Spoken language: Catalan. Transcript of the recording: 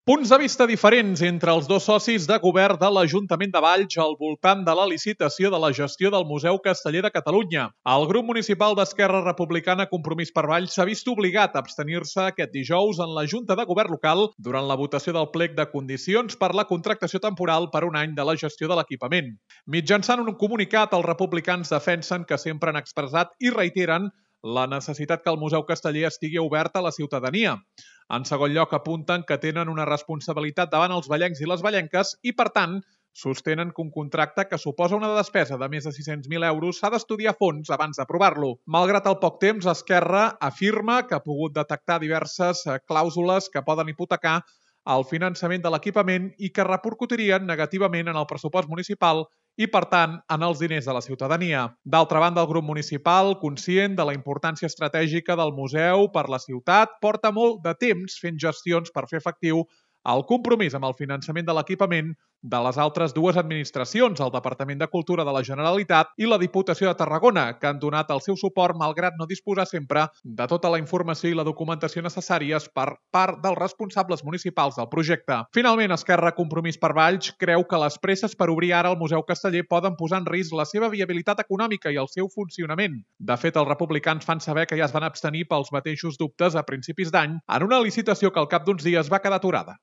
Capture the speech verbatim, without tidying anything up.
Punts de vista diferents entre els dos socis de govern de l'Ajuntament de Valls al voltant de la licitació de la gestió del Museu Casteller de Catalunya. El grup municipal d'Esquerra Republicana Compromís per Valls s'ha vist obligat a abstenir-se aquest dijous en la Junta de Govern local durant la votació del plec de condicions per la contractació temporal per un any de la gestió de l'equipament. Mitjançant un comunicat, els republicans defensen que sempre han expressat i reiteren la necessitat que el Museu Casteller estigui obert a la ciutadania. En segon lloc, apunten que tenen una responsabilitat davant els vallencs i les vallenques i, per tant, sostenen que un contracte que suposa una despesa de més de sis-cents mil euros s'ha d'estudiar a fons abans d'aprovar-lo. Malgrat el poc temps, Esquerra afirma que ha pogut detectar diverses clàusules que poden hipotecar el finançament de l'equipament i que repercutirien negativament en el pressupost municipal i, per tant, en els diners de la ciutadania. D'altra banda, el grup municipal, conscient de la importància estratègica del museu per la ciutat, porta molt de temps fent gestions per fer efectiu el compromís amb el finançament de l'equipament de les altres dues administracions, el Departament de Cultura de la Generalitat i la Diputació de Tarragona, que han donat el seu suport malgrat no disposar sempre de tota la informació i la documentació necessàries per part dels responsables municipals del projecte. Finalment, Esquerra Compromís per Valls creu que les presses per obrir ara el Museu Casteller poden posar en risc la seva viabilitat econòmica i el seu funcionament. De fet, els republicans fan saber que ja es van abstenir pels mateixos dubtes a principis d'any en una licitació que al cap d'uns dies va quedar aturada.